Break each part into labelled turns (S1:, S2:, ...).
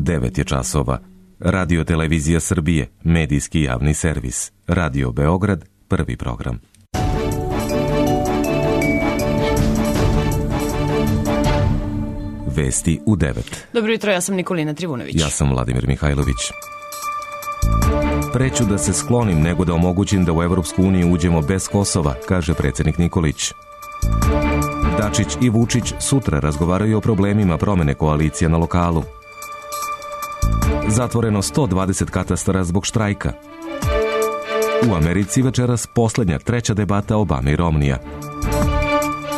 S1: 9 je časova. Radio Televizija Srbije, medijski javni servis. Radio Beograd, prvi program. Vesti u 9.
S2: Dobro jutro, ja sam Nikolina Trivunović.
S1: Ja sam Vladimir Mihajlović. Preću da se sklonim nego da omogućim da u Evropsku uniju uđemo bez Kosova, kaže predsjednik Nikolić. Dačić i Vučić sutra razgovaraju o problemima promene koalicije na lokalu. Zatvoreno 120 katastara zbog štrajka. U Americi večeras posljednja treća debata Obame i Romnija.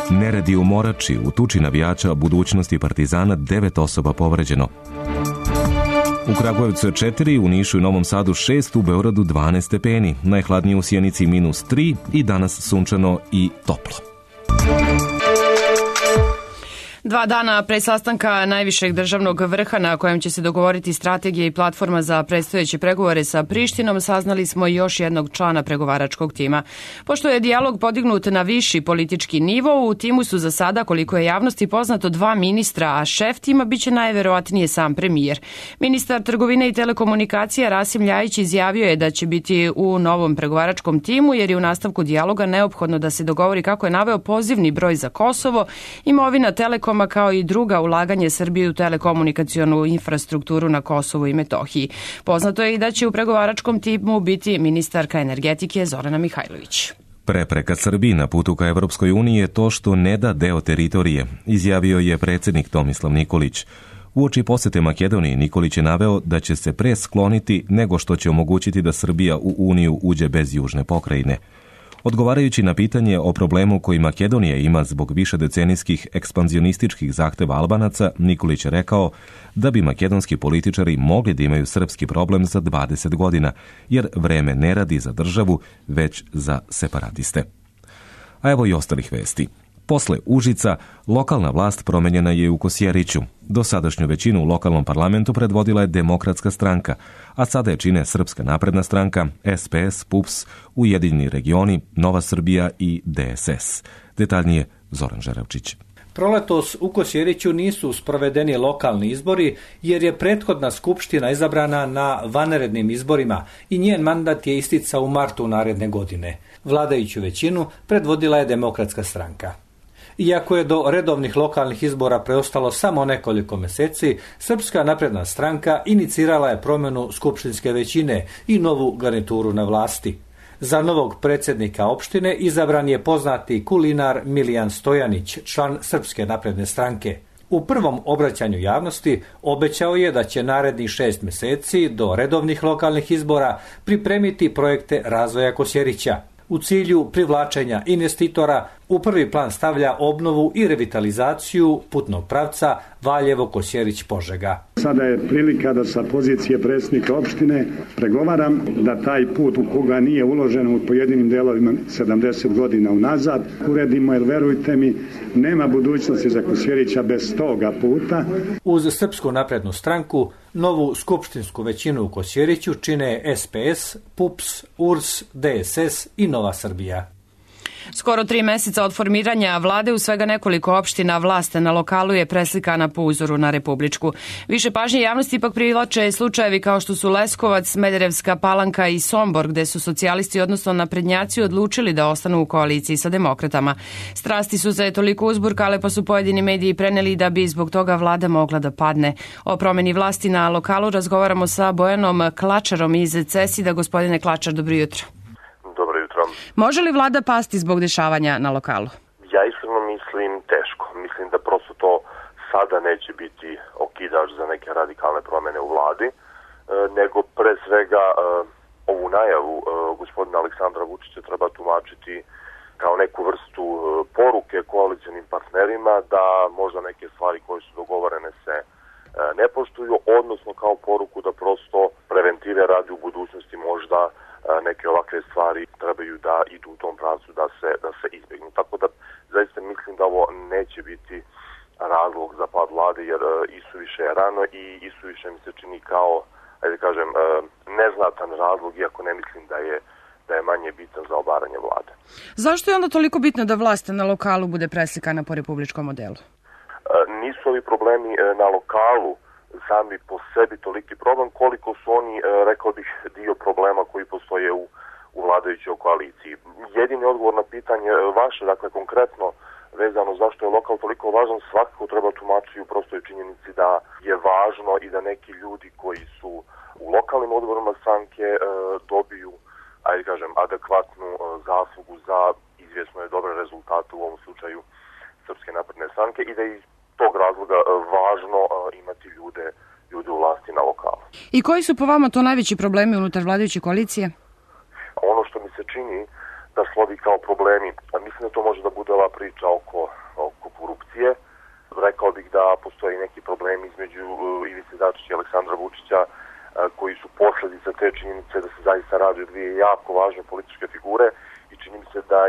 S1: Neredi u Morači, u tuči navijača budućnosti Partizana 9 osoba povređeno. U Kragujevcu je 4, u Nišu i Novom Sadu 6, u Beogradu 12 stepeni, najhladnije u Sjenici -3 i danas sunčano i toplo.
S2: 2 dana pre sastanka najvišeg državnog vrha na kojem će se dogovoriti strategija i platforma za predstojeće pregovore sa Prištinom, saznali smo još jednog člana pregovaračkog tima. Pošto je dijalog podignut na viši politički nivo, u timu su za sada, koliko je javnosti poznato, 2 ministra, a šef tima biće najverovatnije sam premijer. Ministar trgovine i telekomunikacija Rasim Ljajić izjavio je da će biti u novom pregovaračkom timu, jer je u nastavku dijaloga neophodno da se dogovori, kako je naveo, pozivni broj za Kosovo, imovina Telekoma, kao i druga ulaganje Srbije u telekomunikacionu infrastrukturu na Kosovu i Metohiji. Poznato je i da će u pregovaračkom timu biti ministarka energetike Zorana Mihajlović.
S1: Prepreka Srbiji na putu ka Evropskoj uniji je to što ne da deo teritorije, izjavio je predsjednik Tomislav Nikolić. Uoči posete Makedoniji, Nikolić je naveo da će se pre skloniti nego što će omogućiti da Srbija u Uniju uđe bez južne pokrajine. Odgovarajući na pitanje o problemu koji Makedonija ima zbog višedecenijskih ekspanzionističkih zahteva Albanaca, Nikolić je rekao da bi makedonski političari mogli da imaju srpski problem za 20 godina, jer vreme ne radi za državu, već za separatiste. A evo i ostalih vesti. Posle Užica, lokalna vlast promenjena je u Kosjeriću. Dosadašnju većinu u lokalnom parlamentu predvodila je Demokratska stranka, a sada je čine Srpska napredna stranka, SPS, PUPS, Ujedinjeni regioni, Nova Srbija i DSS. Detaljnije Zoran Žerevčić.
S3: Proletos u Kosjeriću nisu sprovedeni lokalni izbori, jer je prethodna skupština izabrana na vanrednim izborima i njen mandat je isticao u martu naredne godine. Vladajuću većinu predvodila je Demokratska stranka. Iako je do redovnih lokalnih izbora preostalo samo nekoliko mjeseci, Srpska napredna stranka inicirala je promjenu skupštinske većine i novu garnituru na vlasti. Za novog predsjednika opštine izabran je poznati kulinar Milijan Stojanić, član Srpske napredne stranke. U prvom obraćanju javnosti obećao je da će narednih 6 mjeseci do redovnih lokalnih izbora pripremiti projekte razvoja Kosjerića. U cilju privlačenja investitora u prvi plan stavlja obnovu i revitalizaciju putnog pravca Valjevo-Kosjerić-Požega.
S4: Sada je prilika da sa pozicije predsjednika opštine pregovaram da taj put u koga nije uloženo u pojedinim delovima 70 godina unazad uredimo, jer verujte mi, nema budućnosti za Kosjerića bez toga puta.
S3: Uz Srpsku naprednu stranku, novu skupštinsku većinu u Kosjeriću čine SPS, PUPS, URS, DSS i Nova Srbija.
S2: Skoro 3 mjeseca od formiranja vlade u svega nekoliko opština, vlast na lokalu je preslikana po uzoru na republičku. Više pažnje javnosti ipak privlače slučajevi kao što su Leskovac, Smederevska Palanka i Sombor, gde su socijalisti, odnosno naprednjaci, odlučili da ostanu u koaliciji sa demokratama. Strasti su se toliko uzburkale, pa su pojedini mediji preneli da bi zbog toga vlada mogla da padne. O promjeni vlasti na lokalu razgovaramo sa Bojanom Klačarom iz CESID-a. Gospodine Klačar, dobro jutro. Može li vlada pasti zbog dešavanja na lokalu?
S5: Ja iskreno mislim teško. Mislim da prosto to sada neće biti okidač za neke radikalne promjene u vladi, nego pre svega ovu najavu gospodina Aleksandra Vučića treba tumačiti kao neku vrstu poruke koalicionim partnerima da možda neke stvari koje su dogovorene se ne poštuju, odnosno kao poruku da prosto preventive radi u budućnosti možda neke ovakve stvari trebaju da idu u tom pravcu da se izbjegnu. Tako da zaista mislim da ovo neće biti razlog za pad vlade, jer isuviše je rano i isuviše mi se čini kao, ajde kažem, neznatan razlog, iako ne mislim da je manje bitan za obaranje vlade.
S2: Zašto je onda toliko bitno da vlast na lokalu bude preslikana po republičkom modelu?
S5: Nisu ovi problemi na lokalu sami po sebi toliki problem, koliko su oni, rekao bih, dio problema koji postoje u vladajućoj koaliciji. Jedini odgovor na pitanje vaše, dakle konkretno vezano zašto je lokal toliko važan, svakako treba tumačiti u prostoj činjenici da je važno i da neki ljudi koji su u lokalnim odborima stranke dobiju, ajde kažem, adekvatnu zaslugu za izvjesno je dobre rezultate u ovom slučaju Srpske napredne stranke i da iz tog razloga važno imati ljude u vlasti na lokalu.
S2: I koji su po vama to najveći problemi unutar vladajuće koalicije?
S5: Ono što mi se čini da slovi kao problemi, a mislim da to može da bude ova priča oko korupcije. Rekao bih da postoji neki problemi između Ivice Dačića i Aleksandra Vučića koji su posljedica te činjenice da se zaista radi o dvije jako važne političke figure i čini mi se da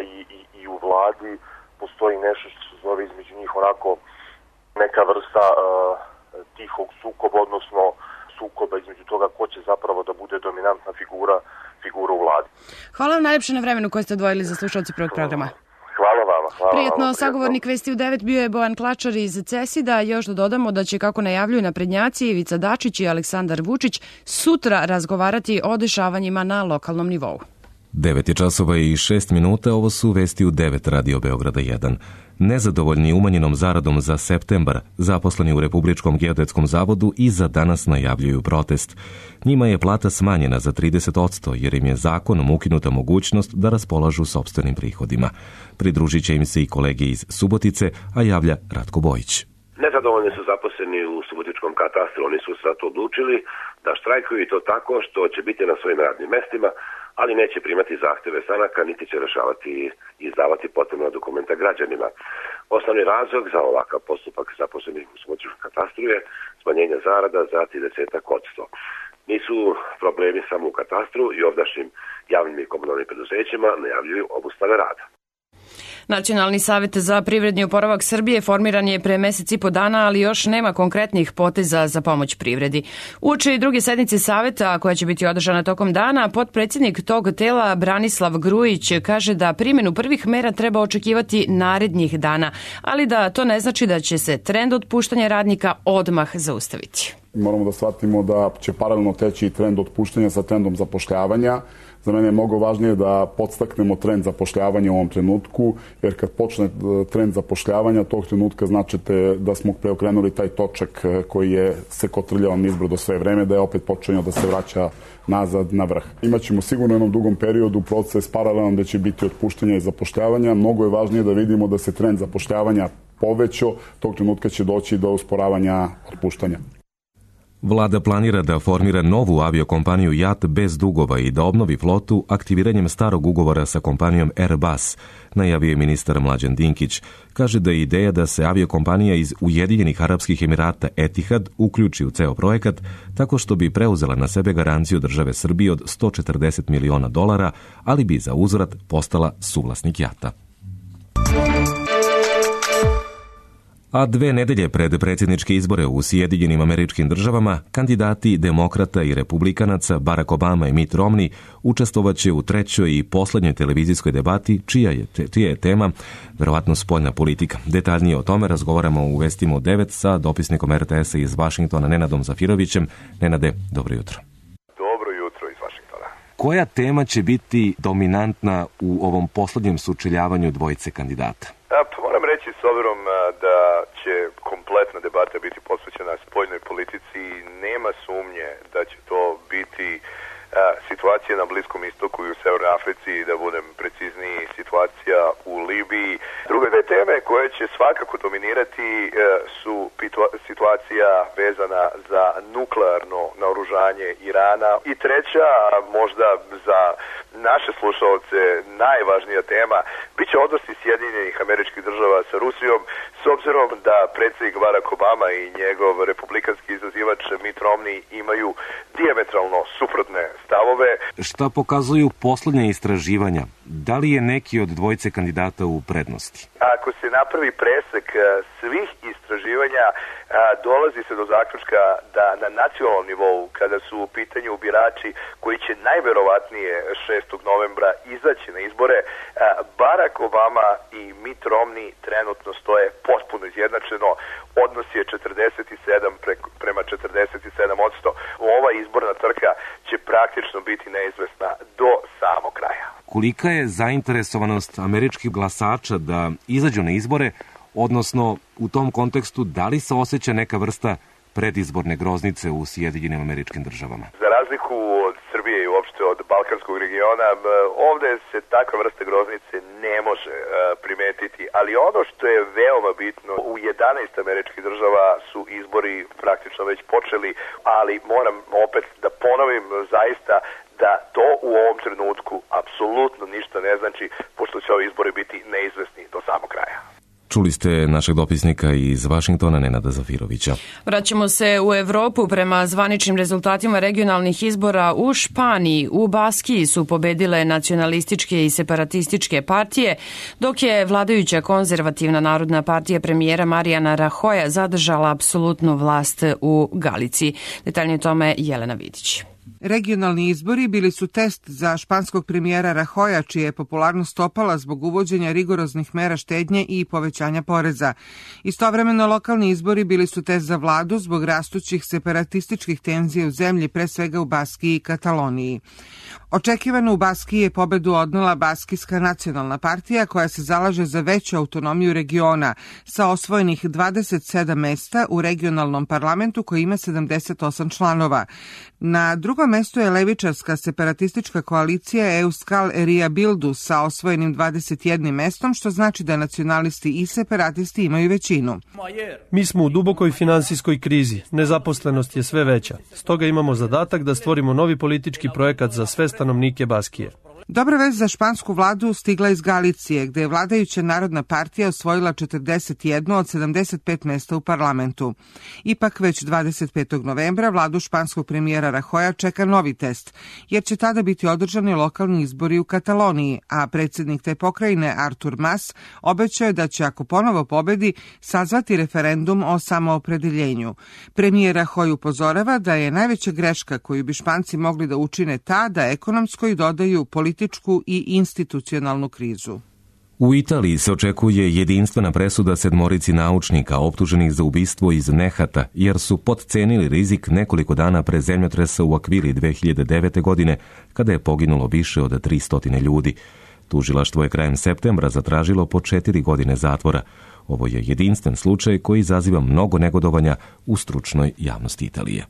S5: i u vladi postoji nešto što se zove između njih onako neka vrsta tihog sukoba, odnosno sukoba između toga ko će zapravo da bude dominantna figura u vladi.
S2: Hvala vam najlepše na vremenu koje ste odvojili za slušalci prvog programa.
S5: Hvala vama.
S2: Prijetno, sagovornik Vesti u 9 bio je Bojan Klačar iz CESID-a. Još da dodamo da će, kako najavljuju naprednjaci, Ivica Dačić i Aleksandar Vučić sutra razgovarati o dešavanjima na lokalnom nivou.
S1: 9:06, ovo su Vesti u 9 Radio Beograda 1. Nezadovoljni umanjenom zaradom za septembar, zaposleni u Republičkom geodetskom zavodu i za danas najavljuju protest. Njima je plata smanjena za 30% jer im je zakonom ukinuta mogućnost da raspolažu sopstvenim prihodima. Pridružit će im se i kolege iz Subotice, a javlja Ratko Bojić.
S6: Nezadovoljni su zaposleni u Subotičkom katastru, oni su sad odlučili da štrajkuju i to tako što će biti na svojim radnim mestima, ali neće primati zahtjeve stranaka, niti će rešavati i izdavati potrebna dokumenta građanima. Osnovni razlog za ovakav postupak zaposlenih u Subotičkom katastru je smanjenje zarada za 30%. Nisu problemi samo u katastru i ovdašnjim javnim i komunalnim preduzećima najavljuju obustave rada.
S2: Nacionalni savjet za privredni oporavak Srbije formiran je pre mesec i po dana, ali još nema konkretnih poteza za pomoć privredi. Uoči druge sednice saveta, koja će biti održana tokom dana, potpredsjednik tog tela Branislav Grujić kaže da primjenu prvih mera treba očekivati narednih dana, ali da to ne znači da će se trend otpuštanja radnika odmah zaustaviti.
S7: Moramo da shvatimo da će paralelno teći i trend otpuštanja sa trendom zapošljavanja. Za mene je mnogo važnije da podstaknemo trend zapošljavanja u ovom trenutku, jer kad počne trend zapošljavanja, tog trenutka značite da smo preokrenuli taj točak koji je se kotrljao nizbrdo sve vreme, da je opet počeo da se vraća nazad na vrh. Imaćemo sigurno u jednom dugom periodu proces paralelan da će biti otpuštanja i zapošljavanja. Mnogo je važnije da vidimo da se trend zapošljavanja povećao, tog trenutka će doći do usporavanja otpuštanja.
S1: Vlada planira da formira novu aviokompaniju JAT bez dugova i da obnovi flotu aktiviranjem starog ugovora sa kompanijom Airbus, najavio je ministar Mlađan Dinkić. Kaže da je ideja da se aviokompanija iz Ujedinjenih Arapskih Emirata Etihad uključi u ceo projekat tako što bi preuzela na sebe garanciju države Srbije od $140 miliona, ali bi za uzvrat postala suvlasnik JAT-a. A 2 nedelje pred predsjedničke izbore u Sjedinjenim Američkim Državama, kandidati demokrata i republikanaca Barack Obama i Mitt Romney učestvovaće u trećoj i posljednjoj televizijskoj debati, čija je tema verovatno spoljna politika. Detaljnije o tome razgovaramo u Vestima u 9 sa dopisnikom RTS-a iz Vašingtona Nenadom Zafirovićem. Nenade, dobro jutro.
S8: Dobro jutro iz Vašingtona.
S1: Koja tema će biti dominantna u ovom posljednjem sučeljavanju dvojice kandidata?
S8: Moram reći, s obzirom da će kompletna debata biti posvećena spoljnoj politici, nema sumnje da će to biti situacija na Bliskom istoku i u Severnoj Africi, da budem precizniji, situacija u Libiji. Druge dve teme koje će svakako dominirati su situacija vezana za nuklearno naoružanje Irana i treća, možda za naše slušalce najvažnija tema, bit će odnosi Sjedinjenih Američkih Država sa Rusijom, s obzirom da predsjednik Barack Obama i njegov republikanski izazivač Mitt Romney imaju dijametralno suprotne stavove.
S1: Šta pokazuju posljednja istraživanja? Da li je neki od dvojice kandidata u prednosti?
S8: Ako se napravi presek svih istraživanja, dolazi se do zaključka da na nacionalnom nivou, kada su u pitanju birači koji će najverovatnije 6. novembra izaći na izbore, Barack Obama i Mitt Romney trenutno stoje potpuno izjednačeno. Odnos je 47 prema 47.
S1: kolika je zainteresovanost američkih glasača da izađu na izbore, odnosno u tom kontekstu da li se osjeća neka vrsta predizborne groznice u Sjedinjenim Američkim Državama?
S8: Za razliku od Srbije i uopšte od Balkanskog regiona, ovde se takva vrsta groznice ne može primetiti, ali ono što je veoma bitno, u 11 američkih država su izbori praktično već počeli, ali moram opet da ponovim zaista da to u ovom trenutku apsolutno ništa ne znači, pošto će ovi izbori biti neizvesni do samog kraja.
S1: Čuli ste našeg dopisnika iz Vašingtona, Nenada Zafirovića.
S2: Vraćamo se u Evropu. Prema zvaničnim rezultatima regionalnih izbora u Španiji, u Baskiji su pobedile nacionalističke i separatističke partije, dok je vladajuća konzervativna narodna partija premijera Mariana Rajoja zadržala apsolutnu vlast u Galiciji. Detaljnije o tome Jelena Vidić.
S9: Regionalni izbori bili su test za španskog premijera Rajoja, čija je popularnost opala zbog uvođenja rigoroznih mera štednje i povećanja poreza. Istovremeno, lokalni izbori bili su test za vladu zbog rastućih separatističkih tenzija u zemlji, pre svega u Baskiji i Kataloniji. Očekivano u Baskiji je pobedu odnela Baskijska nacionalna partija, koja se zalaže za veću autonomiju regiona, sa osvojenih 27 mesta u regionalnom parlamentu koji ima 78 članova. Na drugom mestu je levičarska separatistička koalicija Euskal Herria Bildu sa osvojenim 21 mestom, što znači da nacionalisti i separatisti imaju većinu.
S10: Mi smo u dubokoj finansijskoj krizi, nezaposlenost je sve veća. Stoga imamo zadatak da stvorimo novi politički projekat za sve stanovnike Baskije.
S9: Dobra vest za špansku vladu stigla iz Galicije, gde je vladajuća narodna partija osvojila 41 od 75 mesta u parlamentu. Ipak već 25. novembra vladu španskog premijera Rajoja čeka novi test, jer će tada biti održani lokalni izbori u Kataloniji, a predsjednik te pokrajine Artur Mas obećao je da će, ako ponovo pobedi, sazvati referendum o samoopredeljenju. Premijer Rajoy upozorava da je najveća greška koju bi Španci mogli da učine ta da ekonomskoj dodaju političku i institucionalnu krizu.
S1: U Italiji se očekuje jedinstvena presuda 7 naučnika optuženih za ubistvo iz nehata, jer su potcenili rizik nekoliko dana pre zemljotresa u Akvili 2009. godine, kada je poginulo više od 300 ljudi. Tužilaštvo je krajem septembra zatražilo po 4 godine zatvora. Ovo je jedinstven slučaj koji izaziva mnogo negodovanja u stručnoj javnosti Italije.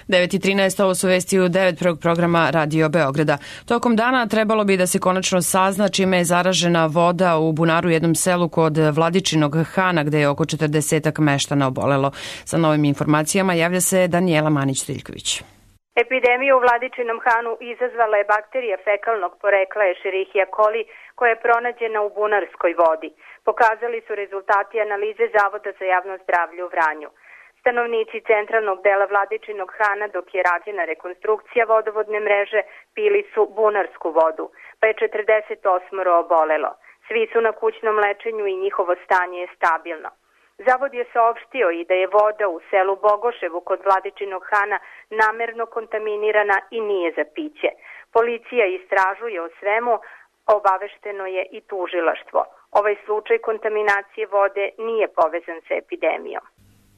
S2: 9:13, ovo su vesti u 9. programa Radio Beograda. Tokom dana trebalo bi da se konačno sazna čime je zaražena voda u bunaru, jednom selu kod Vladičinog Hana, gde je oko 40 meštana obolelo. Sa novim informacijama javlja se Danijela Manić-Triljković.
S11: Epidemiju u Vladičinom Hanu izazvala je bakterija fekalnog porekla Escherichia coli, koja je pronađena u bunarskoj vodi. Pokazali su rezultati analize Zavoda za javno zdravlje u Vranju. Stanovnici centralnog dela Vladičinog Hana, dok je rađena rekonstrukcija vodovodne mreže, pili su bunarsku vodu, pa je 48 obolelo. Svi su na kućnom lečenju i njihovo stanje je stabilno. Zavod je saopštio i da je voda u selu Bogoševu kod Vladičinog Hana namerno kontaminirana i nije za piće. Policija istražuje o svemu, obavešteno je i tužilaštvo. Ovaj slučaj kontaminacije vode nije povezan sa epidemijom.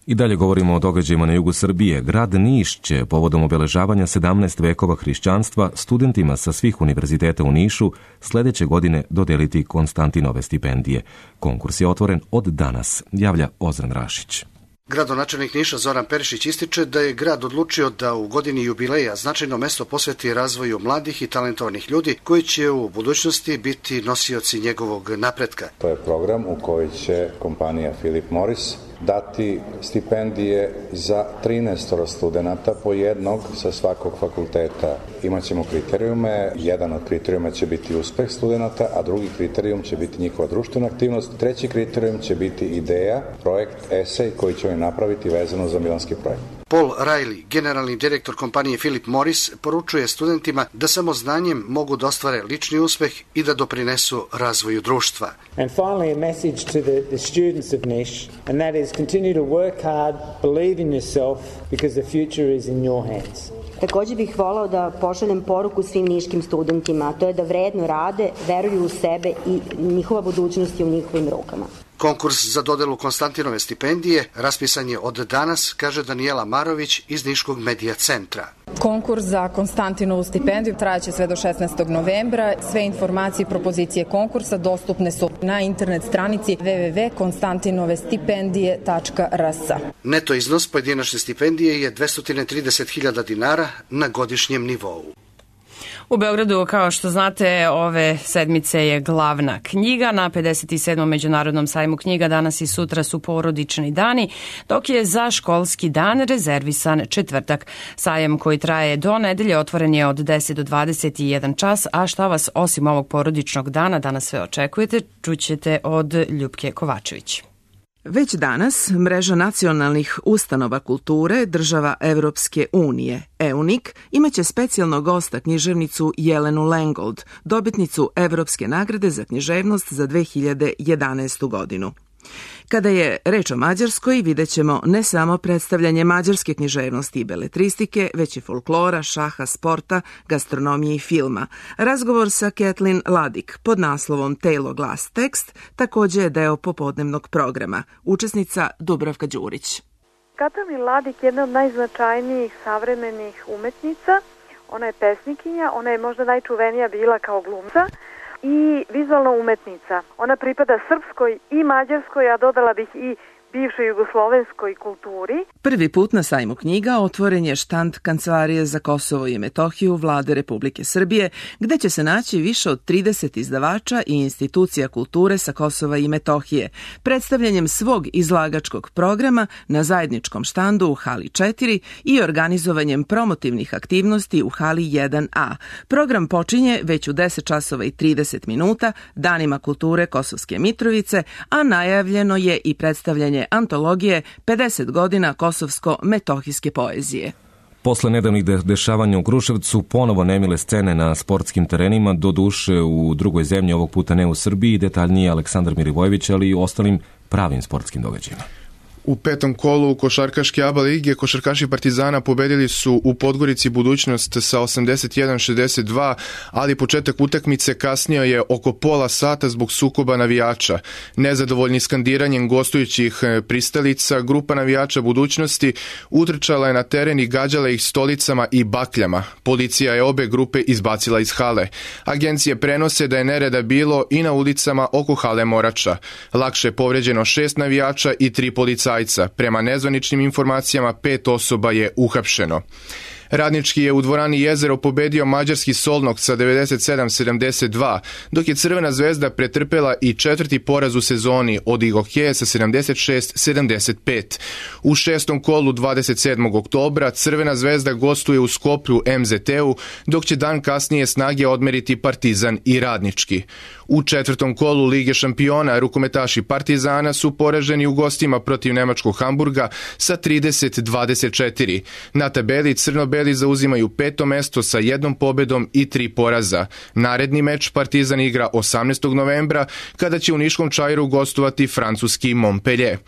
S1: I dalje govorimo o događajima na jugu Srbije. Grad Niš će povodom obeležavanja 17 vekova hrišćanstva studentima sa svih univerziteta u Nišu sledeće godine dodeliti Konstantinove stipendije. Konkurs je otvoren od danas, javlja Ozren Rašić.
S12: Gradonačelnik Niša Zoran Perišić ističe da je grad odlučio da u godini jubileja značajno mesto posveti razvoju mladih i talentovanih ljudi koji će u budućnosti biti nosioci njegovog napretka.
S13: To je program u koji će kompanija Philip Morris dati stipendije za 13 studenta po jednog sa svakog fakulteta. Imaćemo kriterijume, jedan od kriterijuma će biti uspeh studenta, a drugi kriterijum će biti njihova društvena aktivnost, treći kriterijum će biti ideja, projekt, esej koji će napraviti vezano za milanski projekt.
S12: Paul Riley, generalni direktor kompanije Philip Morris, poručuje studentima da samo znanjem mogu da ostvare lični uspeh i da doprinesu razvoju društva.
S14: And finally a message to the students of Niš, and that is continue to work hard, believe in yourself because the future is in your hands.
S15: Također bih volao da pošaljem poruku svim niškim studentima, a to je da vredno rade, veruju u sebe i njihova budućnost je u njihovim rukama.
S12: Konkurs za dodelu Konstantinove stipendije raspisan je od danas, kaže Danijela Marović iz Niškog medija centra.
S16: Konkurs za Konstantinovu stipendiju trajaće sve do 16. novembra. Sve informacije i propozicije konkursa dostupne su na internet stranici www.konstantinovestipendije.rs.
S12: Neto iznos pojedinačne stipendije je 230.000 dinara na godišnjem nivou.
S2: U Beogradu, kao što znate, ove sedmice je glavna knjiga. Na 57. Međunarodnom sajmu knjiga danas i sutra su porodični dani, dok je za školski dan rezervisan četvrtak. Sajam koji traje do nedelje otvoren je od 10 do 21 čas, a šta vas osim ovog porodičnog dana danas sve očekujete, čućete od Ljupke Kovačević.
S9: Već danas mreža nacionalnih ustanova kulture država Evropske unije, EUNIK, imaće specijalnog gosta književnicu Jelenu Lengold, dobitnicu Evropske nagrade za književnost za 2011. godinu. Kada je reč o Mađarskoj, vidjet ćemo ne samo predstavljanje mađarske književnosti i beletristike, već i folklora, šaha, sporta, gastronomije i filma. Razgovor sa Kathleen Ladik pod naslovom Telo, glas, tekst također je deo popodnevnog programa. Učesnica Dubravka Đurić.
S17: Kathleen Ladik je jedna od najznačajnijih savremenih umetnica. Ona je pesnikinja, ona je možda najčuvenija bila kao glumca i vizualna umetnica. Ona pripada srpskoj i mađarskoj, a dodala bih i bivšoj jugoslovenskoj kulturi.
S9: Prvi put na sajmu knjiga otvoren je štand Kancelarije za Kosovo i Metohiju Vlade Republike Srbije, gde će se naći više od 30 izdavača i institucija kulture sa Kosova i Metohije, predstavljanjem svog izlagačkog programa na zajedničkom štandu u hali 4 i organizovanjem promotivnih aktivnosti u hali 1A. Program počinje već u 10 časova i 30 minuta Danima kulture Kosovske Mitrovice, a najavljeno je i predstavljanje antologije 50 godina kosovsko-metohijske poezije.
S1: Posle nedavnih dešavanja u Kruševcu, ponovo nemile scene na sportskim terenima, doduše u drugoj zemlji, ovog puta ne u Srbiji, detaljnije Aleksandar Milivojević, ali i u ostalim pravim sportskim događajima.
S18: U petom kolu košarkaške ABA lige košarkaši Partizana pobedili su u Podgorici Budućnost sa 81-62, ali početak utakmice kasnio je oko pola sata zbog sukoba navijača. Nezadovoljni skandiranjem gostujućih pristalica, grupa navijača Budućnosti utrčala je na teren i gađala ih stolicama i bakljama. Policija je obe grupe izbacila iz hale. Agencije prenose da je nereda bilo i na ulicama oko hale Morača. Lakše je povređeno 6 navijača i 3 policajca. Prema nezvaničnim informacijama 5 osoba je uhapšeno. Radnički je u dvorani Jezero pobedio mađarski Solnog sa 97-72, dok je Crvena zvezda pretrpela i četvrti poraz u sezoni od Igokeje sa 76-75. U šestom kolu 27. oktobra Crvena zvezda gostuje u Skoplju MZT-u, dok će dan kasnije snage odmeriti Partizan i Radnički. U četvrtom kolu Lige šampiona rukometaši Partizana su poraženi u gostima protiv nemačkog Hamburga sa 30-24. Na tabeli crno-beli zauzimaju 5. mesto sa 1 pobedom i 3 poraza. Naredni meč Partizan igra 18. novembra kada će u Niškom Čairu gostovati francuski Montpellier.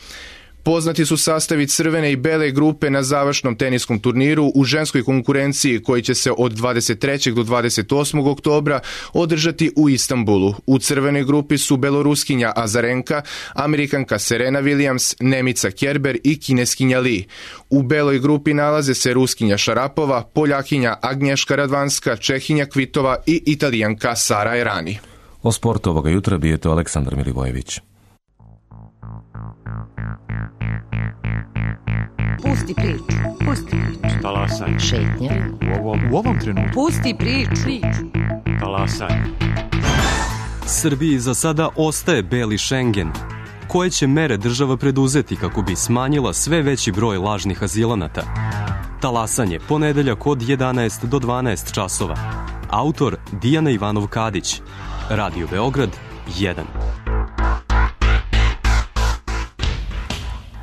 S18: Poznati su sastavi crvene i bele grupe na završnom teniskom turniru u ženskoj konkurenciji koji će se od 23. do 28. oktobra održati u Istanbulu. U crvenoj grupi su beloruskinja Azarenka, Amerikanka Serena Williams, Nemica Kerber i Kineskinja Li. U beloj grupi nalaze se Ruskinja Šarapova, Poljakinja Agnješka Radvanska, Čehinja Kvitova i Italijanka Sara Errani.
S1: O sportu ovoga jutra bio je to Aleksandar Milivojević.
S19: Pusti priču. Pusti priču.
S20: Talasaj.
S19: Šetnja.
S20: U ovom trenutku.
S19: Pusti priču.
S20: Talasaj. Srbiji za sada ostaje beli Schengen. Koje će mere država preduzeti kako bi smanjila sve veći broj lažnih azilanata? Talasanje, ponedeljak od 11 do 12 časova. Autor Dijana Ivanov-Kadić. Radio Beograd 1.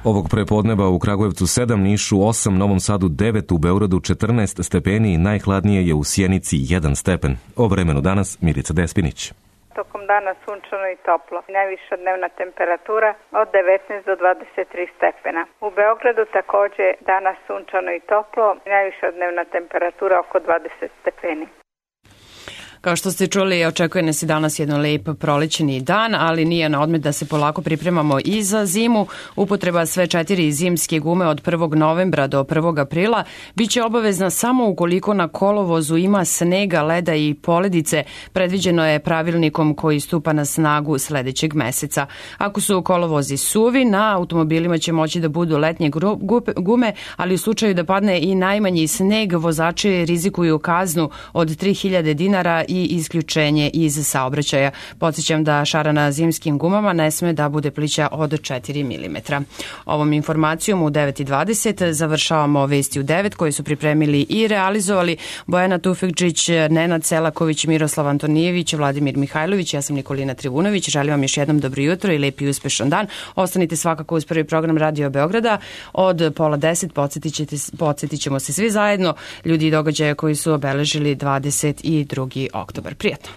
S1: Ovog prepodneva u Kragujevcu 7, Nišu 8, Novom Sadu 9, u Beogradu 14 stepeni i najhladnije je u Sjenici 1 stepen. O vremenu danas Milica Despinić.
S11: Tokom dana sunčano i toplo. Najviša dnevna temperatura od 19 do 23 stepena. U Beogradu također danas sunčano i toplo. Najviša dnevna temperatura oko 20 stepeni.
S2: Kao što ste čuli, očekuje nas i danas jedan lep prolećni dan, ali nije na odmet da se polako pripremamo i za zimu. Upotreba sve 4 zimske gume od 1. novembra do 1. aprila biće obavezna samo ukoliko na kolovozu ima snega, leda i poledice. Predviđeno je pravilnikom koji stupa na snagu sledećeg meseca. Ako su kolovozi suvi, na automobilima će moći da budu letnje gume, ali u slučaju da padne i najmanji sneg, vozači rizikuju kaznu od 3000 dinara i isključenje iz saobraćaja. Podsjećam da šara na zimskim gumama ne sme da bude plića od 4 mm. Ovom informacijom u 9:20 završavamo vesti u 9 koje su pripremili i realizovali Bojana Tufekčić, Nenad Selaković, Miroslav Antonijević, Vladimir Mihajlović, ja sam Nikolina Trivunović. Želim vam još jednom dobro jutro i lep i uspešan dan. Ostanite svakako uz prvi program Radio Beograda od 9:30. Podsjetit ćemo se svi zajedno ljudi i događaje koji su obeležili 22. oktobar. Prijatno.